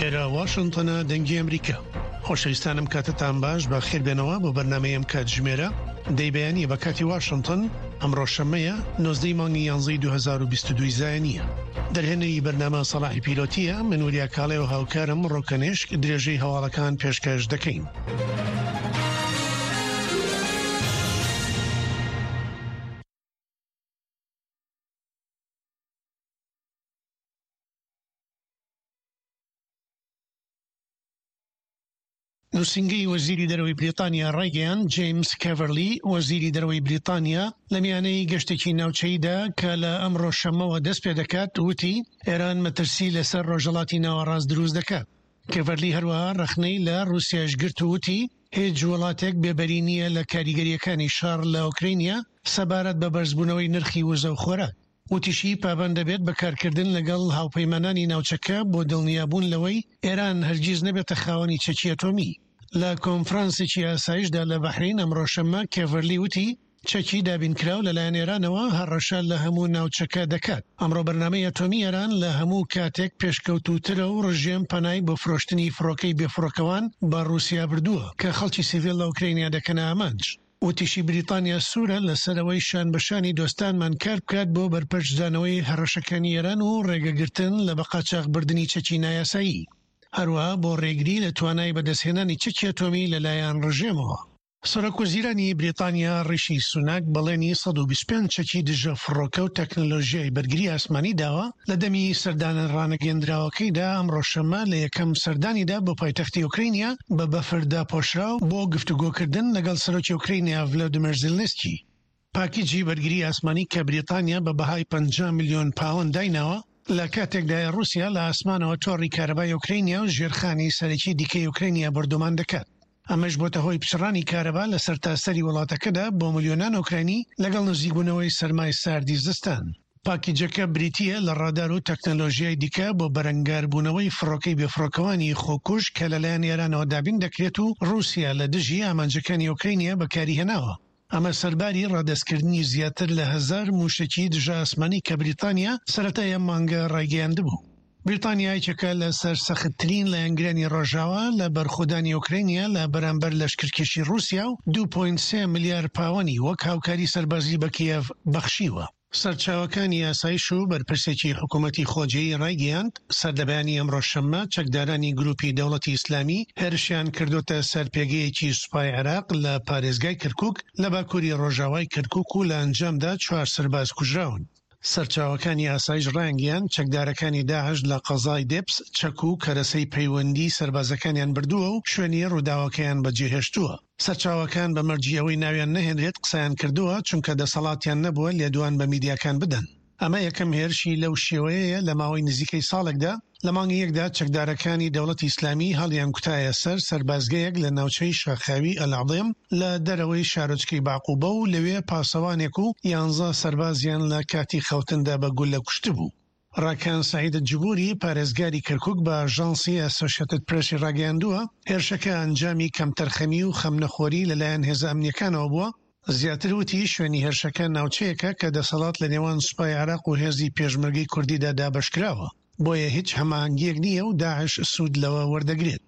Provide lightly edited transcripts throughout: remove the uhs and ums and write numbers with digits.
ئێرە واشنتۆنە دەنگی ئەمریکا. خۆشەویستانم کاتتان باش بە خێربێنەوە بۆ بەرنامەی ئەم کاتژمێرە دەی بەیانیە بە کاتی واشنتن ئەمڕۆ شەممەیە 19 مانگی یانزەی 2022 زایەنیە دەرهێنەری بەرنامە سەڵاحی پیلۆتیە من وریا کاڵێ و هاوکارم ڕۆکەنێشک درێژەی هەواڵەکان پێشکەش دەکەین. نووسینگەی وەزیری دەرەوەی بریتانیا ڕایگەیاند، جەیمس کێڤەرلی، وەزیری دەرەوەی بریتانیا لە میانەی گەشتێکی ناوچەییدا کە لە ئەمڕۆ شەممەوە دەستپێدەکات، وتی، ئێران مەترسی لەسەر ڕۆژهەڵاتی ناوەڕاست دروست دەکات. کێڤەرلی هەروەها ڕەخنەی لە ڕووسیایش گرت و وتی، هیچ وڵاتێک بێبەری نییە لە کاریگەرییەکانی شەڕ لە ئۆکرەینیا سەبارەت بە بەرزبوونەوەی نرخی وزە و خۆراک. وتیشی، پابەند دەبێت بە کارکردن لەگەڵ هاوپەیمانانی ناوچەکە بۆ دڵنیابوون لەوەی ئێران هەرگیز نەبێتە خاوەنی چەکی ئەتۆمی. لە کۆنفرانسێکی ئاسایشدا لە بەحرەین ئەمڕۆ شەممە، کێڤەرلی وتی، چەکی دابینکراو لەلایەن ئێرانەوە هەڕەشە لە هەموو ناوچەکە دەکات. ئەمڕۆ بەرنامەی ئەتۆمی ئێران لە هەموو کاتێک پێشکەوتووترە و ڕژێم پەنای بۆ فرۆشتنی فڕۆکەی بێفڕۆکەوان بە ڕووسیا بردووە کە خەڵکی سیڤیل لە ئۆکرەینیا دەکەنە ئامانج. وتیشی بریتانیا سوورە لەسەر ئەوەی شان بە شانی دۆستانمان کار بکات بۆ بەرپەرچدانەوەی هەڕەشەکانی ئێران و ڕێگەگرتن لە بەقاچاخبردنی چەکی نایاسایی، هەروەها بۆ ڕێگری لە توانای بەدەستهێنانی چەکی ئەتۆمی لەلایەن ڕژێمەوە. سەرۆکوەزیرانی بریتانیا ڕیشی سوناک بەڵێنی 125 چەکی دژە فڕۆکە و تەکنەلۆژیای بەرگری ئاسمانی داوە لە دەمی سەردانە ڕانەگەیەندراوەکەیدا ئەمڕۆ شەممە لە یەکەم سەردانیدا بۆ پایتەختی ئۆکرەینیا بە بەفر داپۆشراو بۆ گفتوگۆکردن لەگەڵ سەرۆکی ئۆکرەینیا ڤلادیمێر زیلنسکی. پاکیجی بەرگری ئاسمانی کە بریتانیا بە بەهای 50 ملیۆن پاوەند دایناوە، لە کاتێکدایە ڕووسیا لە ئاسمانەوە تۆڕی کارەبای ئۆکرەینیا و ژێرخانی سەرەکی دیکەی ئۆکرەینیا بۆردومان دەکات. ئەمەش بۆتە هۆی پچڕانی کارەبا لە سەرتاسەری وڵاتەکەدا بۆ ملیۆنان ئۆکراینی لەگەڵ نزیکبوونەوەی سەرمای ساردی زستان. پاکیجەکە بریتییە لە ڕادار و تەکنەلۆژیای دیکە بۆ بەرەنگاربوونەوەی فڕۆکەی بێفڕۆکەوانی خۆکوژ کە لەلایەن ئێرانەوە دابین دەکرێت و ڕووسیا لە دژی ئامانجەکانی ئۆکرەینیا بەکاریهێناوە. ئەمە سەرباری ڕادەستکردنی زیاتر لە هەزار مووشەکی دژە ئاسمانی کە بریتانیا سەرەتای ئەم مانگە ڕایگەیاندبوو. بریتانیا یەکێکە لە سەرسەختترین لایەنگرانی ڕۆژاوا لە بەرخۆدانی ئۆکرەینیا لە بەرامبەر لەشکرکێشی ڕووسیا و 2.3 ملیار پاوەنی وەک هاوکاری سەربازی بە کیێڤ بەخشیوە. سەرچاوەکانی ئاسایش و بەرپرسێکی حکومەتی خۆجێیی ڕایگەیاند، سەرلەبەیانی ئەمڕۆ شەممە چەکدارانی گروپی دەوڵەتی ئیسلامی هێرشیان کردۆتە سەر پێگەیەکی سوپای عێراق لە پارێزگای کەرکوک لە باکوری ڕۆژاوای کەرکوک و لە ئەنجامدا چوار سەرباز کوژراون. سەرچاوەکانی ئاسایش ڕایانگەیاند، چەکدارەکانی داعش لە قەزای دێپس چەک و کەرەسەی پەیوەندی سەربازەکانیان بردووە و شوێنی ڕووداوەکەیان بەجێهێشتووە. سەرچاوەکان بە مەرجی ئەوەی ناویان نەهێنرێت قسەیان کردووە، چونکە دەسەڵاتیان نەبووە لێدوان بە میدیاکان بدەن. ئەمە یەکەم هێرشی لەو شێوەیەیە لە ماوەی نزیکەی ساڵێکدا، لە مانگی یەکدا چەکدارەکانی دەوڵەتی ئیسلامی هەڵیانکوتایە سەر سەربازگەیەک لە ناوچەی شاخاوی ئەلعضێم لە دەرەوەی شارۆچکەی بەعقوبە و لەوێ پاسەوانێک و یانزە سەربازیان لە کاتی خەوتندا بە گوللە کوشتبوو. ڕاکان سەعید جبوری، پارێزگاری کەرکوک بە ئاژانسی ئەسۆشێتد پرێسی ڕاگەیاندووە، هێرشەکە ئەنجامی کەمتەرخەمی و خەمنەخۆری لەلایەن هێزە ئەمنییەکانەوە بووە. زیاتر وتی، شوێنی هێرشەکە ناوچەیەکە کە دەسەڵات لە نێوان سوپای عێراق و هێزی پێشمەرگەی کوردیدا دابەشکراوە، بۆیە هیچ هەماهەنگییەک نییە و داعش سوود لەوە وەردەگرێت.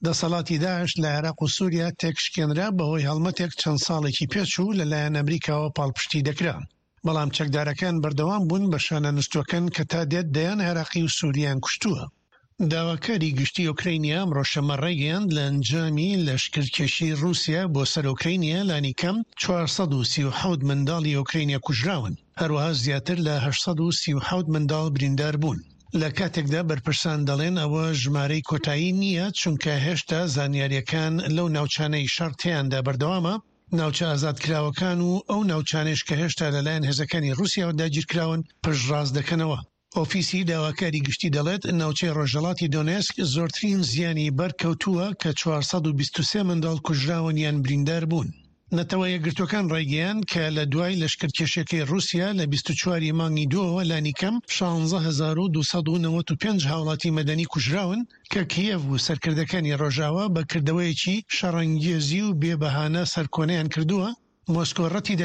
دەسەڵاتی داعش لە عێراق و سوریا تێکشکێنرا بەهۆی هەڵمەتێک چەند ساڵێکی پێچوو لەلایەن ئەمریکاوە پاڵپشتی دەکرا، بەڵام چەکدارەکان بەردەوام بوون بە شانە نوستووەکان کە تا دێت دەیان عێراقی و سورییان کوشتووە. داواکاری گشتی ئۆکرەینیا ئەمڕۆ شەممە ڕایگەیاند، لە ئەنجامی لەشکرکێشیی ڕووسیا بۆ سەر ئۆکرەینیا لانیکەم 437 منداڵی ئۆکرەینیا کوژراون، هەروەها زیاتر لە 837 منداڵ بریندار بوون. لە کاتێکدا بەرپرسان دەڵێن ئەوە ژمارەی کۆتایی نییە، چونکە هێشتا زانیارییەکان لەو ناوچانەی شەڕ تێیاندا بەردەوامە، ناوچە ئازادکراوەکان و ئەو ناوچانەیش کە هێشتا لەلایەن هێزەکانی ڕووسیاوە داگیرکراون پشتڕاست دەکەنەوە. ئۆفیسی داواکاری گشتی دەڵێت، ناوچەی ڕۆژهەڵاتی دۆنێسک زۆرترین زیانی بەرکەوتووە کە 423 منداڵ کوژراون یان بریندار بوون. نەتەوە یەکگرتووەکان ڕایگەیاند کە لە دوای لەشکرکێشیەکەی ڕووسیا لە 24 ی مانگی دووەوە لانیکەم 16295 هاوڵاتی مەدەنی کوژراون کە کیێڤ و سەرکردەکانی ڕۆژاوا بە کردەوەیەکی شەڕەنگێزی و بێ بەهانە سەرکۆنەیان کردووە، مۆسکۆ ڕەتی.